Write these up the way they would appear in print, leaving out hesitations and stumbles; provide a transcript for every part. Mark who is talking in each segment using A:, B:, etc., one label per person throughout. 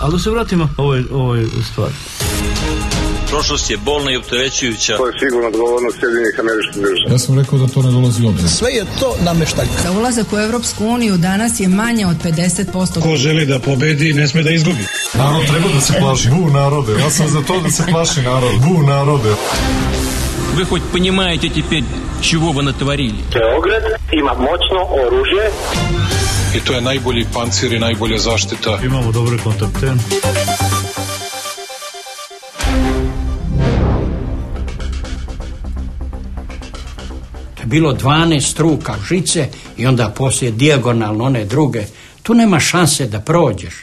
A: Ali da se vratimo ovoj stvari.
B: Prošlost je bolna i opterećujuća.
C: To je sigurno odgovornost Sjedinjenih Američkih Država.
D: Ja sam rekao da to ne dolazi u obzir.
E: Sve je to nameštaljka.
F: Za ulazak u Evropsku uniju danas je manje od 50%.
G: Ko želi da pobedi, ne sme da izgubi.
D: Narod treba da se plaši. Bu narode. Ja sam za to da se plaši narod. Bu narode.
B: Вы хоть понимаете теперь, чего вы натворили?
C: Beograd ima moćno oružje.
D: I to je najbolji pancir i najbolja zaštita.
A: Imamo dobre kontakte.
H: Bilo 12 struka žice i onda poslije dijagonalno one druge. Tu nema šanse da prođeš,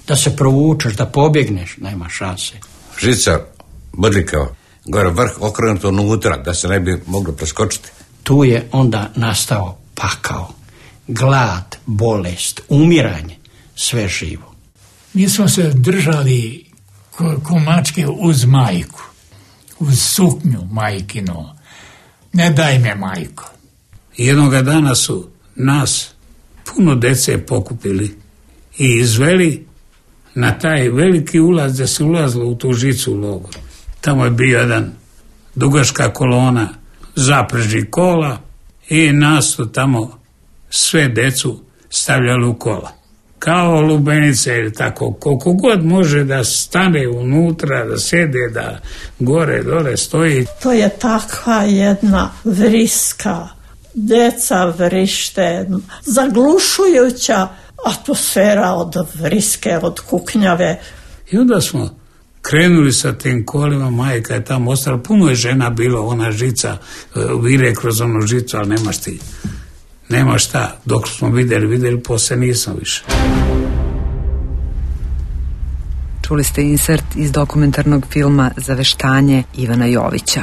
H: da se provučeš, da pobjegneš, nema šanse.
I: Žica bodrikao, gore vrh okrenuto unutra, da se ne bi moglo preskočiti.
H: Tu je onda nastao pakao, glad, bolest, umiranje, sve živo.
J: Mi smo se držali ko mačke uz majku, uz suknju majkinu. Ne daj me, majko. Jednoga dana su nas puno dece pokupili i izveli na taj veliki ulaz da se ulazilo u tu žicu u logor. Tamo je bio jedan dugačka kolona zapreži kola i nas su tamo sve decu stavljali u kola. Kao lubenice ili tako, koliko god može da stane unutra, da sede, da gore, dole stoji.
K: To je takva jedna vriska, deca vrište, zaglušujuća atmosfera od vriske, od kuknjave.
J: I onda smo krenuli sa tim kolima, majka je tamo ostala, puno je žena bilo, ona žica, vire kroz onu žicu, ali nema šta, dok smo vidjeli, poslije nisam više.
L: Čuli ste insert iz dokumentarnog filma Zaveštanje Ivana Jovića.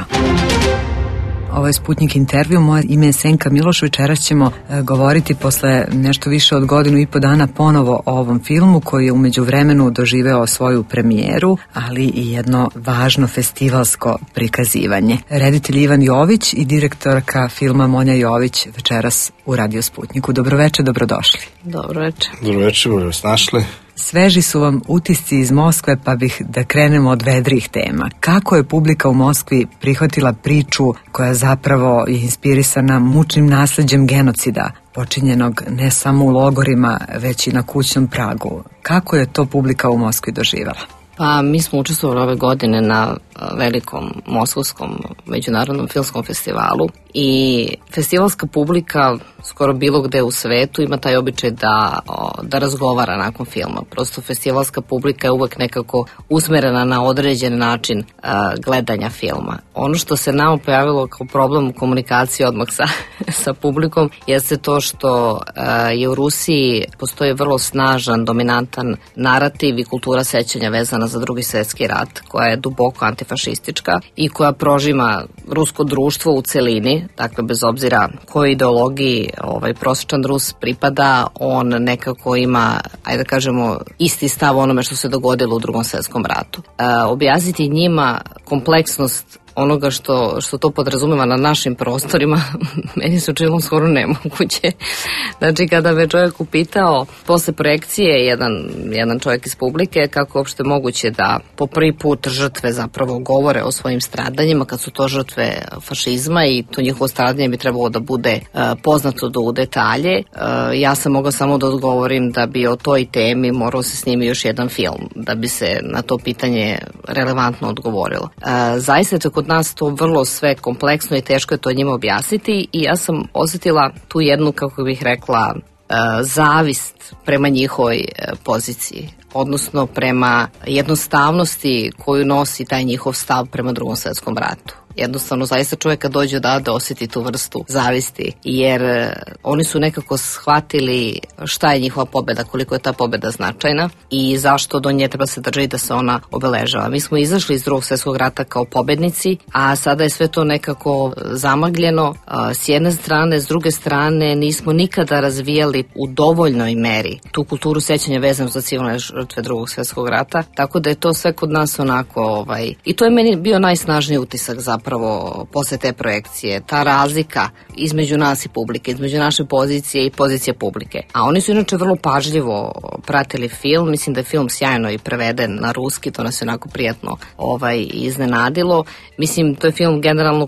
L: Ovo je Sputnik intervju, moje ime je Senka Miloš, večeras ćemo govoriti posle nešto više od 1.5 dana ponovo o ovom filmu koji je u međuvremenu doživeo svoju premijeru, ali i jedno važno festivalsko prikazivanje. Reditelj Ivan Jović i direktorka filma Monja Jović večeras u Radio Sputniku. Dobroveče, dobrodošli.
M: Dobroveče.
G: Dobroveče, bolje vas našli.
L: Sveži su vam utisci iz Moskve, pa bih da krenemo od vedrih tema. Kako je publika u Moskvi prihvatila priču koja zapravo je inspirisana mučnim nasleđem genocida, počinjenog ne samo u logorima, već i na kućnom pragu? Kako je to publika u Moskvi doživjela?
M: Pa mi smo učestvovali ove godine na velikom moskovskom međunarodnom filmskom festivalu i festivalska publika skoro bilo gde u svetu ima taj običaj da razgovara nakon filma. Prosto festivalska publika je uvek nekako usmerena na određen način gledanja filma. Ono što se nama pojavilo kao problem u komunikaciji odmah sa publikom jeste to što je u Rusiji postoji vrlo snažan, dominantan narativ i kultura sećanja vezana za Drugi svjetski rat, koja je duboko antifašistička i koja prožima rusko društvo u celini, dakle bez obzira kojoj ideologiji prosječan Rus pripada, on nekako ima, ajde da kažemo, isti stav onome što se dogodilo u Drugom svjetskom ratu. Objasniti njima kompleksnost onoga što to podrazumeva na našim prostorima, meni se učinilo skoro nemoguće. Znači, kada me čovjek upitao, posle projekcije, jedan čovjek iz publike, kako uopšte moguće da po prvi put žrtve zapravo govore o svojim stradanjima, kad su to žrtve fašizma i to njihovo stradanje bi trebalo da bude poznato u detalje. Ja sam mogla samo da odgovorim da bi o toj temi morao se snimi još jedan film, da bi se na to pitanje relevantno odgovorilo. Zaista je to kod nas to vrlo sve kompleksno i teško je to njima objasniti i ja sam osjetila tu jednu, kako bih rekla, zavist prema njihovoj poziciji, odnosno prema jednostavnosti koju nosi taj njihov stav prema Drugom svjetskom ratu. Jednostavno, zaista čovjek kad dođe da osjeti tu vrstu zavisti, jer oni su nekako shvatili šta je njihova pobjeda, koliko je ta pobjeda značajna i zašto do nje treba se držati da se ona obeležava. Mi smo izašli iz Drugog svjetskog rata kao pobjednici, a sada je sve to nekako zamagljeno s jedne strane, s druge strane nismo nikada razvijali u dovoljnoj meri tu kulturu sećanja vezanu za civilne žrtve Drugog svjetskog rata, tako da je to sve kod nas onako, i to je meni bio najsnažniji utisak zapravo zapravo posle te projekcije, ta razlika između nas i publike, između naše pozicije i pozicije publike. A oni su inače vrlo pažljivo pratili film, mislim da je film sjajno i preveden na ruski, to nas je onako prijatno iznenadilo. Mislim, to je film generalno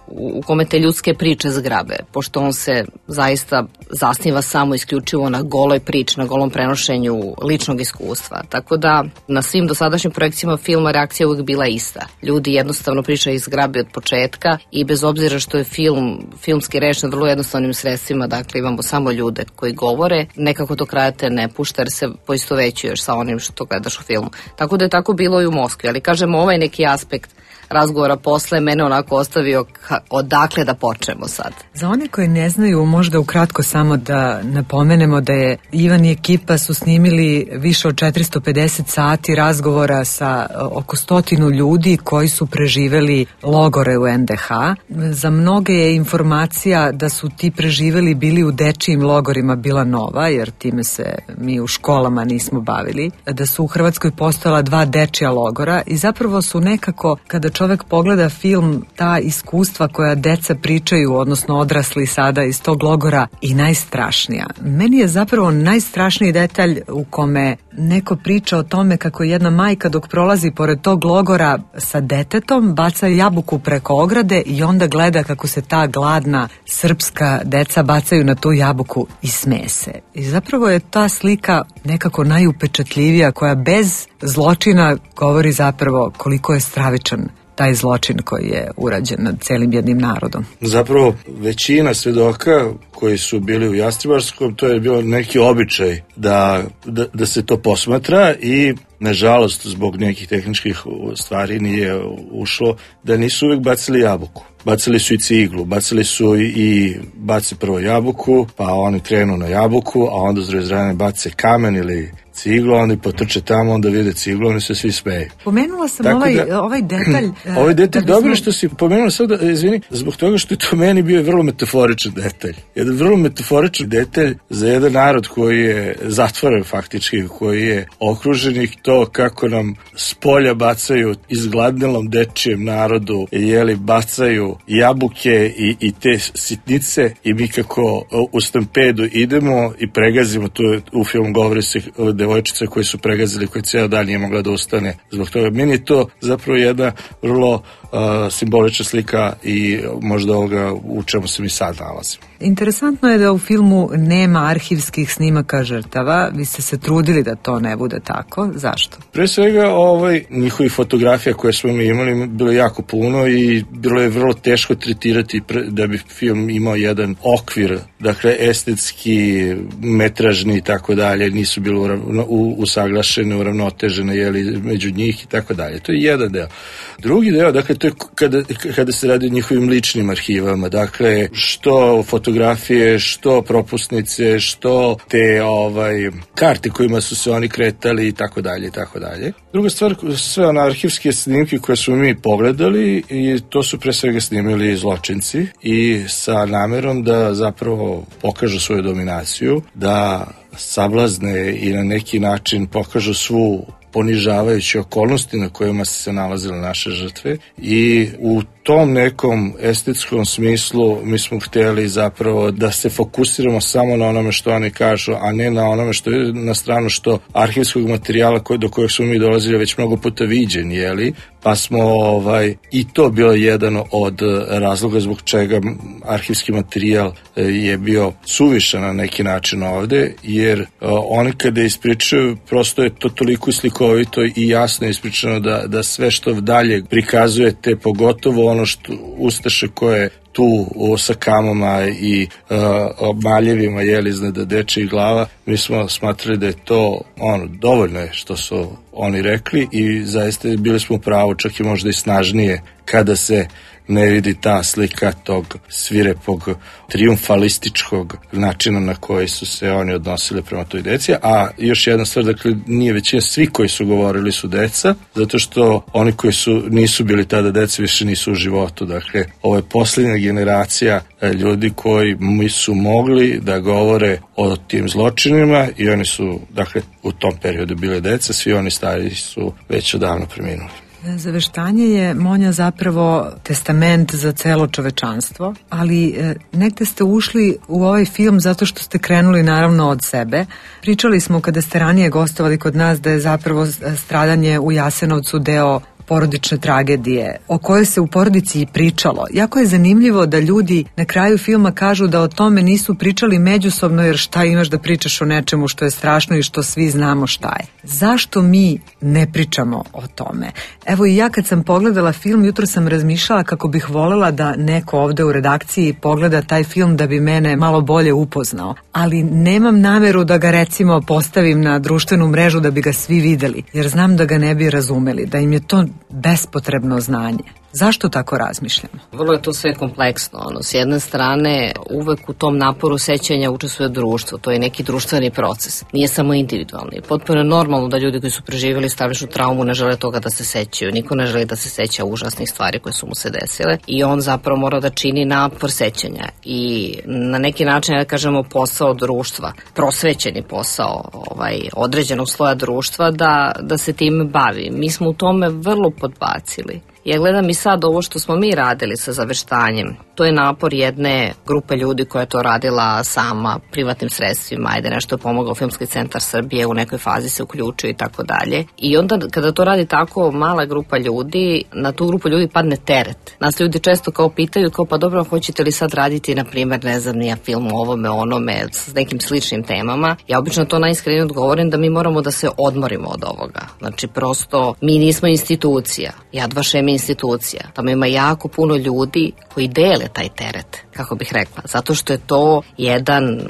M: u kome te ljudske priče zgrabe, pošto on se zaista zasniva samo isključivo na goloj priči, na golom prenošenju ličnog iskustva. Tako da na svim dosadašnjim projekcijama filma reakcija uvijek bila ista. Ljudi jednostavno pričaju iz zgrabe od početka i bez obzira što je filmski rečen vrlo jednostavnim sredstvima, dakle imamo samo ljude koji govore, nekako do kraja te ne pušta jer se poistovećuješ sa onim što gledaš u filmu. Tako da je tako bilo i u Moskvi, ali kažem ovaj neki aspekt razgovora posle mene onako ostavio odakle da počnemo sad.
L: Za one koji ne znaju, možda ukratko samo da napomenemo da je Ivan i ekipa su snimili više od 450 sati razgovora sa oko 100 ljudi koji su preživeli logore u NDH. Za mnoge je informacija da su ti preživeli bili u dečijim logorima bila nova, jer time se mi u školama nismo bavili. Da su u Hrvatskoj postojala 2 dečija logora i zapravo su nekako, kada čovek pogleda film, ta iskustva koja deca pričaju, odnosno odrasli sada iz tog logora, i najstrašnija. Meni je zapravo najstrašniji detalj u kome neko priča o tome kako jedna majka dok prolazi pored tog logora sa detetom baca jabuku preko ograde i onda gleda kako se ta gladna srpska deca bacaju na tu jabuku i smeje se. I zapravo je ta slika nekako najupečatljivija, koja bez zločina govori zapravo koliko je stravičan taj zločin koji je urađen nad celim jednim narodom.
G: Zapravo većina svedoka koji su bili u Jastrebarskom, to je bilo neki običaj da se to posmatra i nažalost zbog nekih tehničkih stvari nije ušlo da nisu uvijek bacili jabuku. Bacili su i ciglu, bacili su i bace prvo jabuku, pa oni krenu na jabuku, a onda s druge strane bace kamen ili ciglu, onda potrče tamo, onda vide ciglu, oni se svi smeju.
L: Pomenula sam ovaj detalj.
G: Ovaj detalj, dobro što si pomenula sad, izvini, zbog toga što je to meni bio vrlo metaforičan detalj. Jedan vrlo metaforičan detalj za jedan narod koji je zatvoren faktički, koji je okružen i to kako nam s polja bacaju izgladnelom dečijem narodu, bacaju jabuke i te sitnice i mi kako u stampedu idemo i pregazimo, tu u filmu govori se devojčice koje su pregazili, koje cijel dan nije mogla da ustane. Zbog toga meni je to zapravo jedna vrlo simbolična slika i možda ovoga u čemu se mi sad nalazimo.
L: Interesantno je da u filmu nema arhivskih snimaka žrtava. Vi ste se trudili da to ne bude tako. Zašto?
G: Pre svega njihovih fotografija koje smo mi imali bilo jako puno i bilo je vrlo teško tretirati da bi film imao jedan okvir, dakle estetski, metražni i tako dalje, nisu bili usaglašene, uravnotežene među njih i tako dalje. To je jedan deo. Drugi deo, dakle, to je kada se radi o njihovim ličnim arhivama, dakle, što fotografije, što propusnice, što te karte kojima su se oni kretali i tako dalje i tako dalje. Druga stvar, sve one arhivske snimke koje smo mi pogledali i to su pre svega snimili zločinci i sa namerom da zapravo pokažu svoju dominaciju, da sablazne i na neki način pokažu svu ponižavajuće okolnosti na kojima se nalazile naše žrtve i u tom nekom estetskom smislu mi smo htjeli zapravo da se fokusiramo samo na onome što oni kažu, a ne na onome što je na stranu što arhivskog materijala do kojeg smo mi dolazili već mnogo puta viđeni, pa smo i to bio jedan od razloga zbog čega arhivski materijal je bio suvišan na neki način ovde, jer oni kada ispričaju, prosto je to toliko slikovito i jasno ispričano da sve što dalje prikazujete, pogotovo ono što ustaše koje tu sa kamama i maljevima iznad dečijih glava, mi smo smatrali da je to dovoljno je što su oni rekli i zaista bili smo u pravu, čak i možda i snažnije kada se ne vidi ta slika tog svirepog, trijumfalističkog načina na koji su se oni odnosili prema toj deci. A još jedna stvar, dakle, nije većina, svi koji su govorili su deca, zato što oni koji nisu bili tada deca više nisu u životu. Dakle, ovo je posljednja generacija ljudi koji su mogli da govore o tim zločinima i oni su, dakle, u tom periodu bile deca, svi oni stariji su već odavno preminuli.
L: Zaveštanje je, Monja, zapravo testament za celo čovečanstvo, ali negde ste ušli u ovaj film zato što ste krenuli naravno od sebe. Pričali smo kada ste ranije gostovali kod nas da je zapravo stradanje u Jasenovcu deo porodične tragedije, o kojoj se u porodici i pričalo. Jako je zanimljivo da ljudi na kraju filma kažu da o tome nisu pričali međusobno, jer šta imaš da pričaš o nečemu što je strašno i što svi znamo šta je. Zašto mi ne pričamo o tome? Evo i ja kad sam pogledala film, jutro sam razmišljala kako bih volela da neko ovde u redakciji pogleda taj film da bi mene malo bolje upoznao. Ali nemam nameru da ga recimo postavim na društvenu mrežu da bi ga svi videli, jer znam da ga ne bi razumeli, da im je to bespotrebno znanje. Zašto tako razmišljamo?
M: Vrlo je to sve kompleksno. S jedne strane, uvek u tom naporu sećanja učestvuje društvo. To je neki društveni proces. Nije samo individualni. Potpuno je normalno da ljudi koji su preživjeli stravičnu traumu ne žele toga da se sećaju. Niko ne želi da se seća užasnih stvari koje su mu se desile. I on zapravo mora da čini napor sećanja. I na neki način, da kažemo, posao društva, prosvećeni posao određenog sloja društva da se time bavi. Mi smo u tome vrlo podbacili. Ja gledam i sad ovo što smo mi radili sa zaveštanjem. To je napor jedne grupe ljudi koja je to radila sama, privatnim sredstvima, ajde nešto je pomogao Filmski centar Srbije, u nekoj fazi se uključio i tako dalje. I onda kada to radi tako mala grupa ljudi, na tu grupu ljudi padne teret. Nas ljudi često kao pitaju, kao pa dobro, hoćete li sad raditi, na primjer, ne znam, nija film o ovome, onome, s nekim sličnim temama. Ja obično to najiskrenije odgovorim da mi moramo da se odmorimo od ovoga. Znači, prosto, mi nismo institucija. Yad Vashem je institucija. Tamo ima jako puno ljudi koji dele taj teret, kako bih rekla. Zato što je to jedan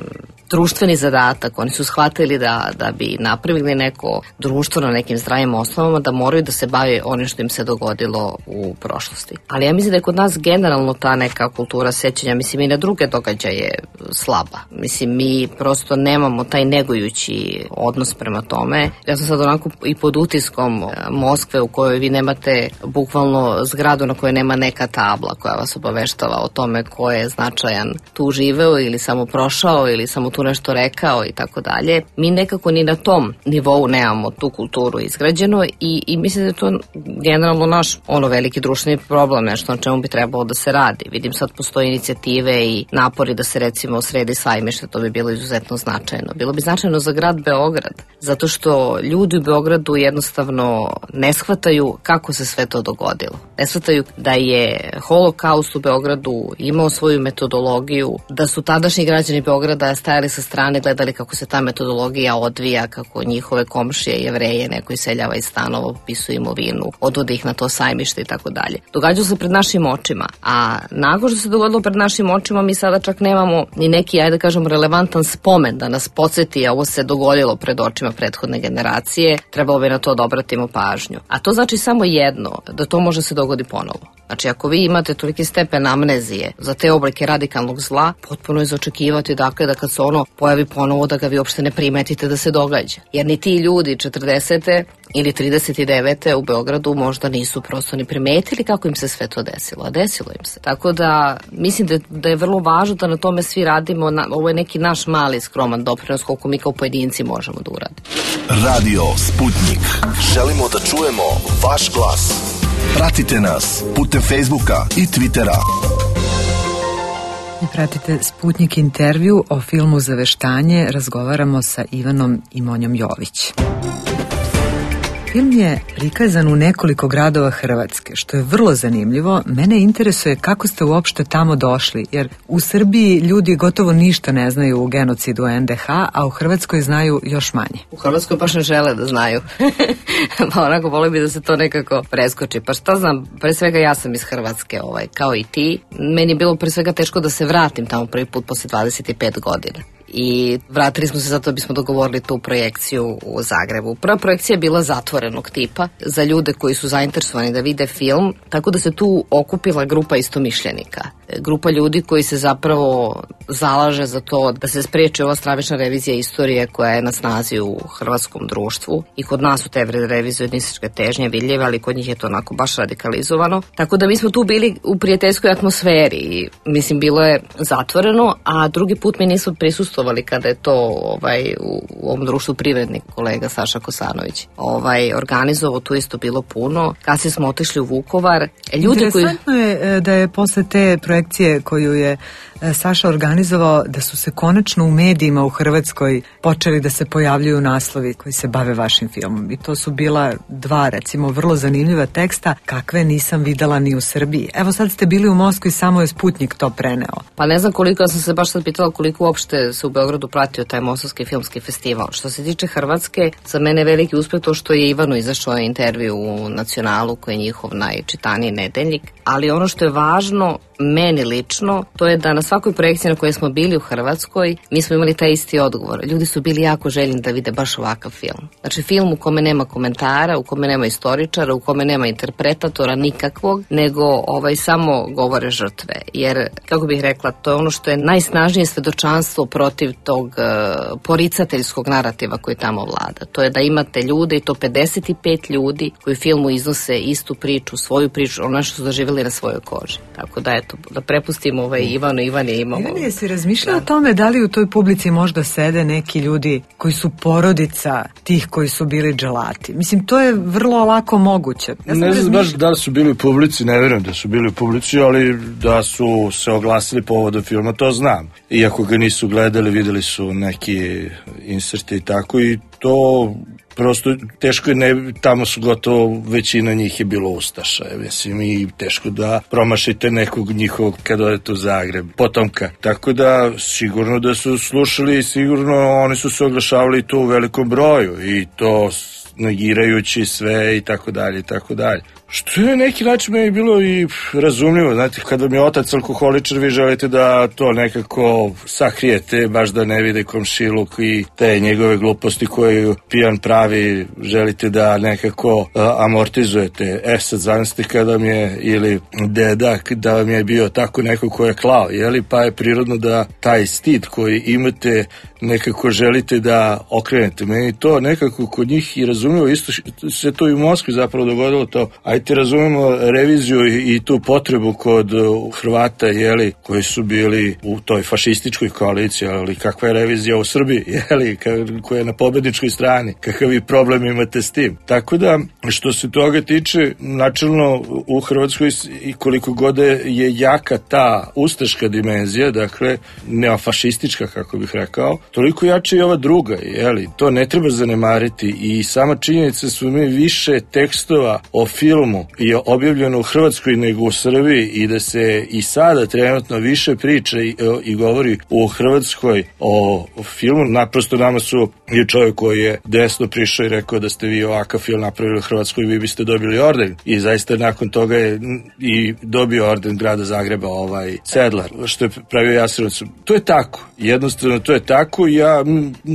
M: društveni zadatak. Oni su shvatili da bi napravili neko društvo na nekim zdravim osnovama, da moraju da se bave onim što im se dogodilo u prošlosti. Ali ja mislim da je kod nas generalno ta neka kultura sećanja, mislim i na druge događaje slaba. Mislim, mi prosto nemamo taj negujući odnos prema tome. Ja sam sad onako i pod utiskom Moskve u kojoj vi nemate bukvalno zgradu na kojoj nema neka tabla koja vas obaveštava o tome ko je značajan tu živeo ili samo prošao ili samo tu nešto rekao i tako dalje. Mi nekako ni na tom nivou nemamo tu kulturu izgrađeno i mislim da je to generalno naš veliki društveni problem, nešto na čemu bi trebalo da se radi. Vidim sad postoje inicijative i napori da se recimo sredi sajmište, to bi bilo izuzetno značajno. Bilo bi značajno za grad Beograd, zato što ljudi u Beogradu jednostavno ne shvataju kako se sve to dogodilo. Ne shvataju da je holokaust u Beogradu imao svoju metodologiju, da su tadašnji građani Beograda stajali sa strane, gledali kako se ta metodologija odvija, kako njihove komšije Jevreje neko iseljava iz stanova, popisuje imovinu, odvode ih na to sajmište i tako dalje. Događalo se pred našim očima, a nakon što se dogodilo pred našim očima mi sada čak nemamo ni neki, ajde da kažemo, relevantan spomen da nas podsjeti, a ovo se dogodilo pred očima prethodne generacije, trebalo bi na to da obratimo pažnju. A to znači samo jedno, da to može se dogodi ponovo. Znači, ako vi imate toliki stepen amnezije za te oblike radikalnog zla, potpuno je za očekivati, dakle, da kad se ono pojavi ponovo, da ga vi uopšte ne primetite da se događa. Jer ni ti ljudi 40. ili 39. u Beogradu možda nisu prosto ni primetili kako im se sve to desilo, a desilo im se. Tako da, mislim da je vrlo važno da na tome svi radimo, ovo je neki naš mali skroman doprinos koliko mi kao pojedinci možemo da uradimo.
E: Radio Sputnik. Želimo da čujemo vaš glas. Pratite nas putem Facebooka i Twittera.
L: Pratite Sputnik intervju o filmu Zaveštanje. Razgovaramo sa Ivanom i Monjom Jović. Film je prikazan u nekoliko gradova Hrvatske, što je vrlo zanimljivo. Mene interesuje kako ste uopšte tamo došli, jer u Srbiji ljudi gotovo ništa ne znaju u genocidu NDH, a u Hrvatskoj znaju još manje.
M: U Hrvatskoj baš ne žele da znaju. Pa onako vole bi da se to nekako preskoči. Pa šta znam, pre svega ja sam iz Hrvatske, kao i ti. Meni je bilo pre svega teško da se vratim tamo prvi put posle 25 godina. I vratili smo se zato da bismo dogovorili tu projekciju u Zagrebu. Prva projekcija je bila zatvorenog tipa za ljude koji su zainteresovani da vide film, tako da se tu okupila grupa istomišljenika. Grupa ljudi koji se zapravo zalaže za to da se spreči ova stravična revizija istorije koja je na snazi u hrvatskom društvu. I kod nas su te revizionističke težnje vidljive, ali kod njih je to onako baš radikalizovano. Tako da mi smo tu bili u prijateljskoj atmosferi. Mislim, bilo je zatvoreno, a drugi put mi nisu prisustvovali učestvovali kada je to u ovom društvu privrednik kolega Saša Kosanović organizovao, tu isto bilo puno. Kasnije smo otišli u Vukovar.
L: Interesantno je da je posle te projekcije koju je Saša organizovao, da su se konačno u medijima u Hrvatskoj počeli da se pojavljuju naslovi koji se bave vašim filmom. I to su bila dva, recimo, vrlo zanimljiva teksta, kakve nisam videla ni u Srbiji. Evo sad ste bili u Moskvi i samo je Sputnjik to preneo.
M: Pa ne znam koliko, ja sam se baš sad pitala koliko uopšte se u Beogradu pratio taj Moskovski filmski festival. Što se tiče Hrvatske, za mene je veliki uspeh to što je Ivanu izašao intervju u Nacionalu, koji je njihov najčitaniji nedeljnik. Ali ono što je važno meni lično, to je da na svakoj projekciji na kojoj smo bili u Hrvatskoj, mi smo imali taj isti odgovor. Ljudi su bili jako željni da vide baš ovakav film. Znači film u kome nema komentara, u kome nema istoričara, u kome nema interpretatora nikakvog, nego samo govore žrtve. Jer, kako bih rekla, to je ono što je najsnažnije svedočanstvo protiv tog poricateljskog narativa koji tamo vlada. To je da imate ljude, i to 55 ljudi, koji u filmu iznose istu priču, svoju priču, ono što su doživjeli na svojoj koži. Tako da, eto, da prepustimo Ivanu. Ivan je imao...
L: Ivan, jesi razmišljao o tome da li u toj publici možda sede neki ljudi koji su porodica tih koji su bili dželati? Mislim, to je vrlo lako moguće.
G: Ne znam baš da li su bili u publici, ne vjerujem da su bili u publici, ali da su se oglasili povodom filma, to znam. Iako ga nisu gledali, videli su neki inserte i tako, i to... Prosto teško je, tamo su gotovo većina njih je bilo ustaša, mislim, i teško da promašite nekog njihovog kad odete u Zagreb, potomka. Tako da sigurno da su slušali i sigurno oni su se oglašavali to u velikom broju i to negirajući sve i tako dalje i tako dalje. Što je neki način meni bilo i razumljivo, znate, kad vam je otac alkoholičar, vi želite da to nekako sakrijete, baš da ne vide komšiluk i te njegove gluposti koje pijan pravi, želite da nekako amortizujete. Sad zamislite kada vam je, ili deda, da vam je bio tako neko ko je klao, jeli, pa je prirodno da taj stid koji imate nekako želite da okrenete. Meni to nekako kod njih i razumljivo, isto se to i u Moskvi zapravo dogodilo to. Ajte razumemo reviziju i tu potrebu kod Hrvata, jeli, koji su bili u toj fašističkoj koaliciji, ali kakva je revizija u Srbiji, jeli, koja je na pobedničkoj strani, kakav vi problem imate s tim. Tako da, što se toga tiče, načelno u Hrvatskoj i koliko god je jaka ta ustaška dimenzija, dakle, neofašistička, kako bih rekao, toliko jače i ova druga, jeli, to ne treba zanemariti i sama činjenica su mi više tekstova o filmu je objavljeno u Hrvatskoj nego u Srbiji i da se i sada trenutno više priča i govori u Hrvatskoj o filmu. Naprosto nama su i čovjek koji je desno prišao i rekao da ste vi ovakav film napravili u Hrvatskoj, vi biste dobili orden i zaista nakon toga je i dobio orden grada Zagreba Sedlar, što je pravio Jasenovac. To je tako, jednostavno to je tako. Ja,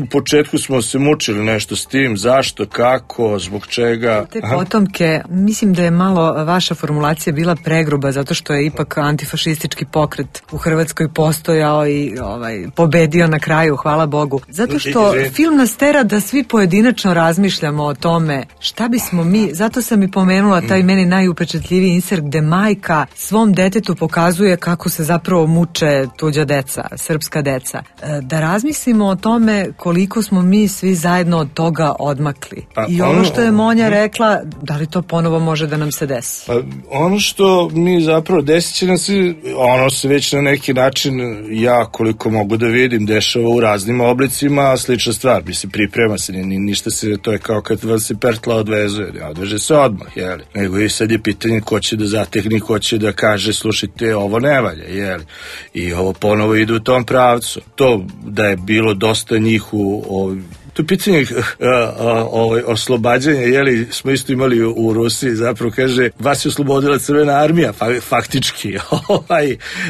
G: u početku smo se mučili nešto s tim, zašto, kako, zbog čega.
L: Te potomke, mislim da je malo vaša formulacija bila pregruba, zato što je ipak antifašistički pokret u Hrvatskoj postojao i pobedio na kraju, hvala Bogu. Zato što film nas tera da svi pojedinačno razmišljamo o tome šta bismo mi, zato sam i pomenula taj meni najupečatljiviji insert gde majka svom detetu pokazuje kako se zapravo muče tuđa deca, srpska deca. Da razmislimo o tome koliko smo mi svi zajedno od toga odmakli. I ovo što je Monja rekla, da li to ponovo može da nam se desi?
G: Ono što mi zapravo desit će nam se, ono se već na neki način, ja koliko mogu da vidim, dešava u raznim oblicima, slična stvar, mislim, priprema se, ništa se, to je kao kad vam se pertla odvezuje, ne odveže se odmah, jeli, nego i sad je pitanje ko će da zatekne, ko će da kaže, slušajte, ovo ne valja, jeli, i ovo ponovo ide u tom pravcu. To da je bilo dosta njih to je pitanje oslobađanja, jeli, smo isto imali u Rusiji, zapravo kaže, vas je oslobodila Crvena armija, faktički,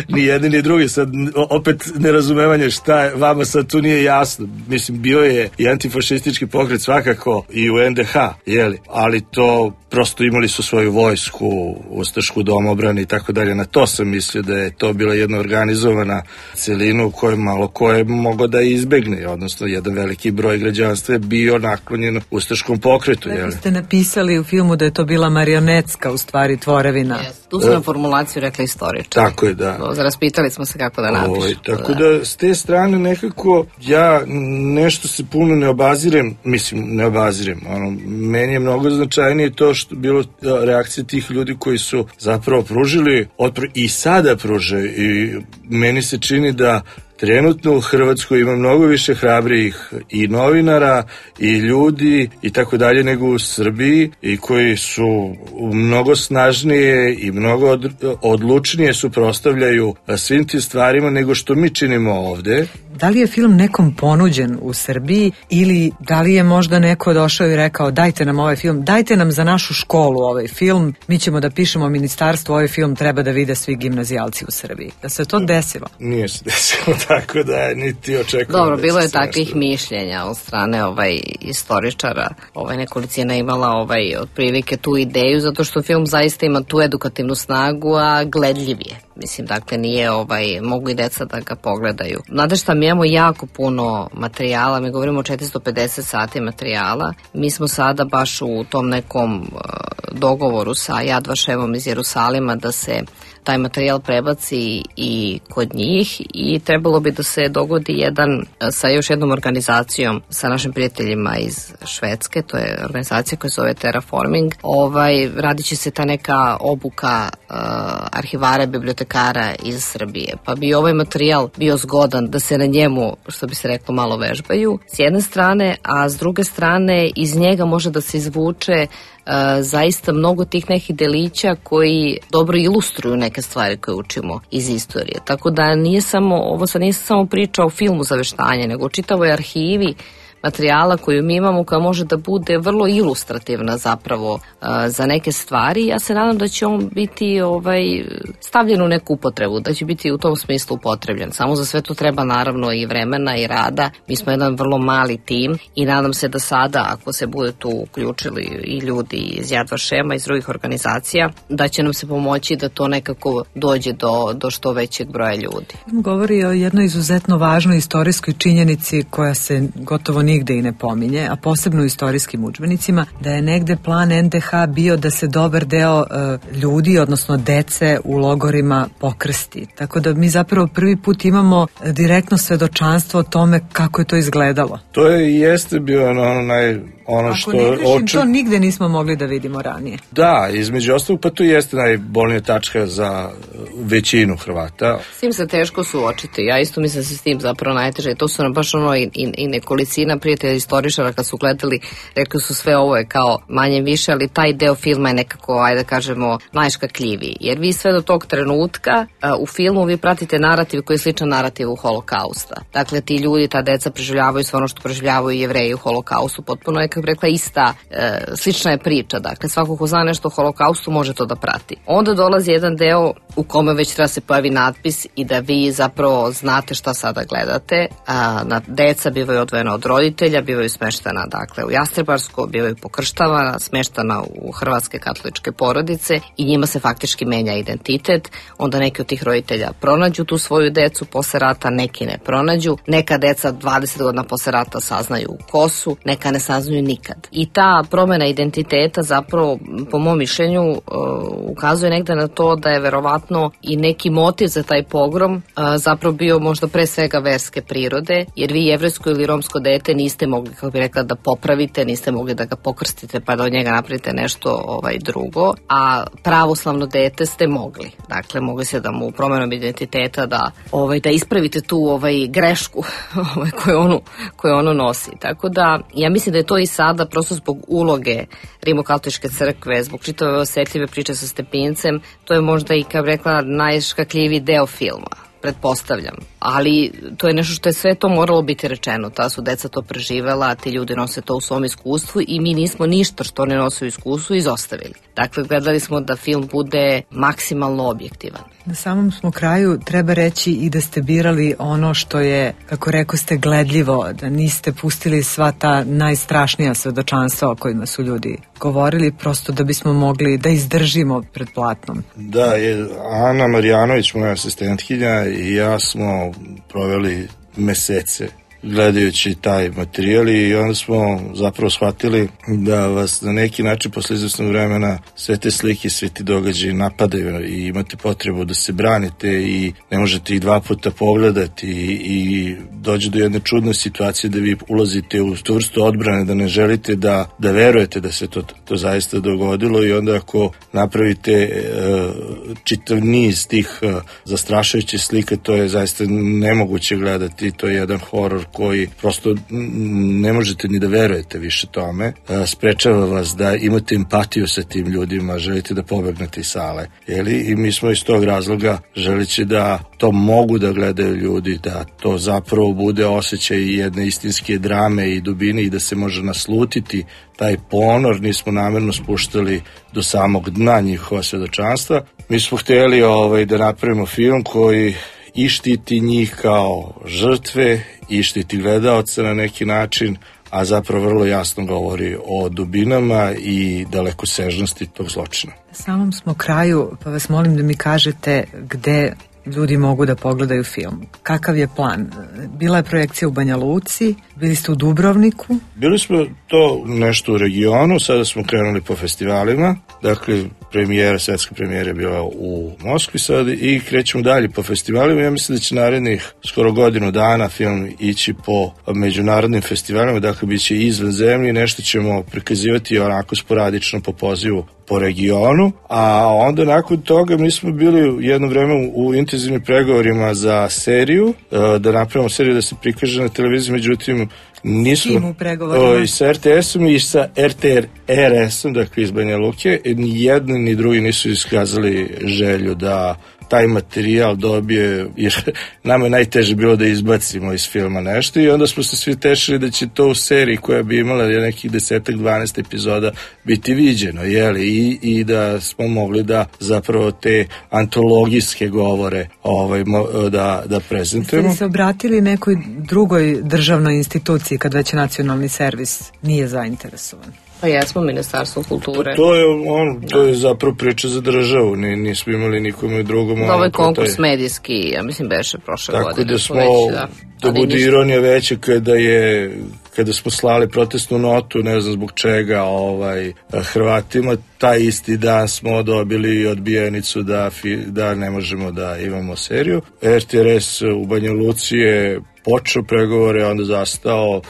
G: ni jedni ni drugi, sad opet nerazumevanje šta vama sad tu nije jasno, mislim, bio je i antifašistički pokret svakako i u NDH, jeli, ali to prosto imali su svoju vojsku, ustašku domobrani i tako dalje, na to sam mislio da je to bila jedna organizovana celina u kojoj malo ko je mogao da izbegne, odnosno jedan veliki broj građana građanstva je bio naklonjen ustaškom pokretu.
L: Neki ste napisali u filmu da je to bila marionetska u stvari tvorevina.
M: Tu su na formulaciju rekli istoričari.
G: Tako je, da.
M: Raspitali smo se kako da napišu.
G: Tako da s te strane nekako ja nešto se puno ne obazirem, meni je mnogo značajnije to što bilo reakcija tih ljudi koji su zapravo pružili otpor i sada pružaju, i meni se čini da trenutno u Hrvatskoj ima mnogo više hrabrih i novinara i ljudi i tako dalje nego u Srbiji, i koji su mnogo snažnije i mnogo odlučnije suprotstavljaju svim tim stvarima nego što mi činimo ovde.
L: Da li je film nekom ponuđen u Srbiji ili da li je možda neko došao i rekao dajte nam ovaj film, dajte nam za našu školu ovaj film, mi ćemo da pišemo ministarstvu, ovaj film treba da vide svi gimnazijalci u Srbiji. Da se to desilo?
G: Nije se desilo, tako da niti očekujem.
M: Dobro, bilo je takvih mišljenja od strane istoričara. Nekolicina imala otprilike tu ideju, zato što film zaista ima tu edukativnu snagu, a gledljiv je. Mislim, dakle, nije mogu i deca da ga pogledaju. Znate šta, mi imamo jako puno materijala, mi govorimo o 450 sati materijala. Mi smo sada baš u tom nekom dogovoru sa Yad Vašemom iz Jerusalima da se taj materijal prebaci i kod njih, i trebalo bi da se dogodi sa još jednom organizacijom, sa našim prijateljima iz Švedske, to je organizacija koja se zove Terraforming. Radit će se ta neka obuka arhivara, bibliotekara iz Srbije. Pa bi ovaj materijal bio zgodan da se na njemu, što bi se reklo, malo vežbaju s jedne strane, a s druge strane iz njega može da se izvuče zaista mnogo tih nekih delića koji dobro ilustruju neke stvari koje učimo iz istorije. Tako da nije samo priča o filmu za veštanje, nego o čitavoj arhivi materijala koju mi imamo, koja može da bude vrlo ilustrativna zapravo za neke stvari. Ja se nadam da će on biti stavljen u neku upotrebu, da će biti u tom smislu upotrebljen. Samo za sve to treba naravno i vremena i rada. Mi smo jedan vrlo mali tim i nadam se da sada, ako se bude tu uključili i ljudi iz Yad Vašema, iz drugih organizacija, da će nam se pomoći da to nekako dođe do što većeg broja ljudi.
L: Govori o jednoj izuzetno važnoj istorijskoj činjenici koja se gotovo nigde i ne pominje, a posebno u istorijskim udžbenicima, da je negde plan NDH bio da se dobar deo ljudi, odnosno dece u logorima pokrsti. Tako da mi zapravo prvi put imamo direktno svedočanstvo o tome kako je to izgledalo.
G: To jeste bio
L: to nigde nismo mogli da vidimo ranije.
G: Da, između ostalog, pa to jeste najbolnija tačka za većinu Hrvata.
M: S tim se teško suočiti. Ja isto mislim da se s tim zapravo najteže. To su nam baš i nekolicina prijatelja istoričara kad su gledali, rekli su sve ovo je kao manje više, ali taj deo filma je nekako, ajde da kažemo, najškakljiviji. Jer vi sve do tog trenutka u filmu vi pratite narativ koji je sličan narativu Holokausta. Dakle, ti ljudi, ta deca preživljavaju sve ono što preživljavaju Jevreji u Holokaustu. Potpuno je, kako rekla, slična je priča. Dakle, svako ko zna nešto o Holokaustu može to da prati. Onda dolazi jedan deo u kome već treba se pojavi natpis i da vi zapravo znate šta sada gledate. Deca bivaju odvojena od roditelja, bivaju smeštena u Jastrebarsko, bivaju pokrštavana, smeštena u hrvatske katoličke porodice i njima se faktički menja identitet. Onda neki od tih roditelja pronađu tu svoju decu posle rata, neki ne pronađu. Neka deca 20 godina posle rata saznaju ko su, neka ne saznaju nikad. I ta promjena identiteta zapravo, po mom mišljenju, ukazuje negde na to da je verovatno i neki motiv za taj pogrom zapravo bio možda pre svega verske prirode, jer vi jevrejsko ili romsko dete niste mogli, kako bi rekla, da popravite, niste mogli da ga pokrstite pa da od njega napravite nešto drugo, a pravoslavno dete ste mogli. Dakle, mogli se da mu promjenom identiteta da ispravite tu grešku koju ono nosi. Tako da, ja mislim da je to i sada, prosto zbog uloge Rimokatoličke crkve, zbog čitave osetljive priče sa Stepincem, to je možda i, kao rekla, najškakljiviji deo filma, pretpostavljam. Ali to je nešto što je sve to moralo biti rečeno. Ta su deca to preživela, ti ljudi nose to u svom iskustvu i mi nismo ništa što ne nose u iskustvu izostavili. Dakle, gledali smo da film bude maksimalno objektivan.
L: Na samom smo kraju treba reći i da ste birali ono što je, kako rekao ste, gledljivo, da niste pustili sva ta najstrašnija svedočanstva o kojima su ljudi govorili, prosto da bismo mogli da izdržimo pred platnom.
G: Da, Ana Marjanović, moja asistentkinja, i ja smo proveli mesece gledajući taj materijal i onda smo zapravo shvatili da vas na neki način posle izvesnog vremena sve te slike, sve ti događaji napadaju i imate potrebu da se branite i ne možete ih 2 puta pogledati i dođe do jedne čudne situacije da vi ulazite u tu vrstu odbrane, da ne želite da verujete da se to zaista dogodilo i onda ako napravite čitav niz tih zastrašujućih slika, to je zaista nemoguće gledati, to je jedan horor koji prosto ne možete ni da verujete više tome, sprečava vas da imate empatiju sa tim ljudima, želite da pobegnete iz sale, i mi smo iz tog razloga želeći da to mogu da gledaju ljudi, da to zapravo bude osjećaj jedne istinske drame i dubine i da se može naslutiti taj ponor, nismo namerno spuštali do samog dna njihova svedočanstva. Mi smo htjeli da napravimo film koji i štiti njih kao žrtve i štiti gledaoca na neki način, a zapravo vrlo jasno govori o dubinama i dalekosežnosti tog zločina.
L: Na samom smo kraju, pa vas molim da mi kažete gde ljudi mogu da pogledaju film. Kakav je plan? Bila je projekcija u Banja Luci, bili ste u Dubrovniku?
G: Bili smo to nešto u regionu, sada smo krenuli po festivalima, dakle svetska premijera je bila u Moskvi sad i krećemo dalje po festivalima. Ja mislim da će narednih skoro godinu dana film ići po međunarodnim festivalima, dakle bit će izvan zemlje, nešto ćemo prikazivati onako sporadično po pozivu po regionu, a onda nakon toga mi smo bili jedno vreme u intenzivnim pregovorima za seriju, da napravimo seriju da se prikaže na televiziji, međutim nismo i sa RTS-om i sa RTRS-om, dakle iz Banja Luke, ni jedni ni drugi nisu iskazali želju da taj materijal dobije, jer nama je najteže bilo da izbacimo iz filma nešto i onda smo se svi tešili da će to u seriji koja bi imala nekih 10-12 epizoda biti viđeno, i da smo mogli da zapravo te antologijske govore da prezentujemo.
L: Ste se obratili nekoj drugoj državnoj instituciji kad već nacionalni servis nije zainteresovan?
M: Pa jesmo, Ministarstvo kulture.
G: To je zapravo priča za državu, nismo imali nikome drugom.
M: Ovo je konkurs medijski, ja mislim beše prošle godine.
G: Tako da smo, da bude ironija veća kada smo slali protestnu notu, ne znam zbog čega, Hrvatima, taj isti dan smo dobili odbijenicu da ne možemo da imamo seriju. RTRS u Banja Luci je počeo pregovore, onda zastao.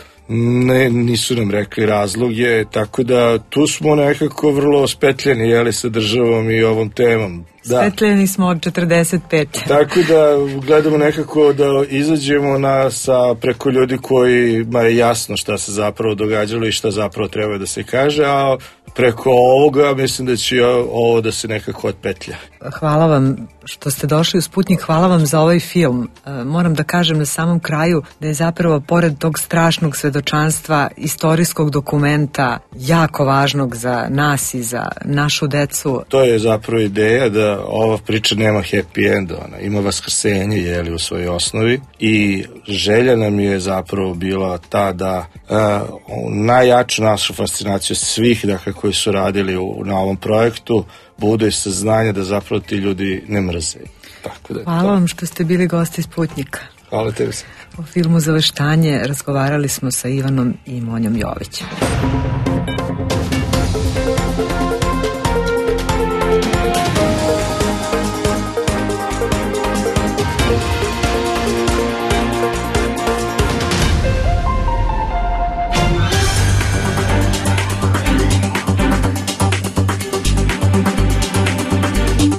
G: Nisu nam rekli razloge, tako da tu smo nekako vrlo spetljeni sa državom i ovom temom.
L: Spetljeni smo od 45.
G: Tako da gledamo nekako da izađemo preko ljudi kojima je jasno šta se zapravo događalo i šta zapravo treba da se kaže, a preko ovoga mislim da će ovo da se nekako otpetlja.
L: Hvala vam što ste došli u Sputnjik, hvala vam za ovaj film. Moram da kažem na samom kraju da je zapravo pored tog strašnog svedočanstva, istorijskog dokumenta, jako važnog za nas i za našu decu.
G: To je zapravo ideja da ova priča nema happy end, ona ima vaskrsenje u svojoj osnovi i želja nam je zapravo bila ta da najjaču našu fascinaciju svih koji su radili na ovom projektu bude saznanje da zapravo ti ljudi ne mrze.
L: Hvala vam što ste bili gosti Sputnjika.
G: Hvala tebi.
L: O filmu Zaveštanje razgovarali smo sa Ivanom i Monjom Jovićem.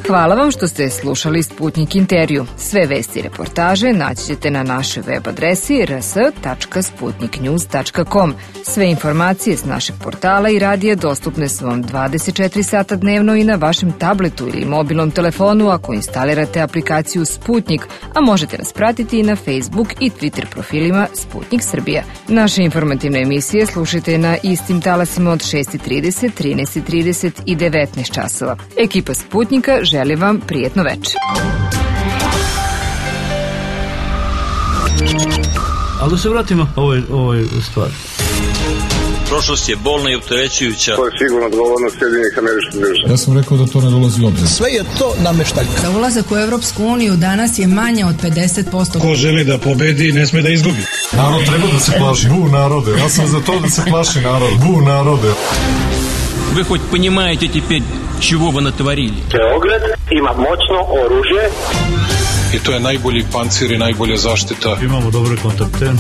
N: Hvala vam što ste slušali Sputnjik intervju. Sve vesti i reportaže naći ćete na našoj web adresi rs.sputniknews.com. Sve informacije s našeg portala i radija dostupne su vam 24 sata dnevno i na vašem tabletu ili mobilnom telefonu ako instalirate aplikaciju Sputnjik, a možete nas pratiti i na Facebook i Twitter profilima Sputnjik Srbija. Naše informativne emisije slušajte na istim talasima od 6:30, 13:30 i 19 časova. Ekipa Sputnjika želi vam prijetno večer.
A: Ali da se vratimo ovoj stvari.
B: Prošlost je bolna i opterećujuća.
C: To je sigurno odgovornost Sjedinjenih Američkih Država.
D: Ja sam rekao da to ne dolazi u obzir.
O: Sve je to nameštaljka.
F: Za ulazak u Evropsku uniju danas je manja od 50%.
P: Ko želi da pobedi, ne sme da izgubi.
D: Narod treba da se plaši. Bu narode. Ja sam za to da se plaši narod. Bu narode.
B: Вы хоть понимаете теперь, чего вы натворили?
C: Beograd ima moćno oružje.
P: I to je najbolji pancir i najbolja zaštita.
A: Imamo dobre kontakte.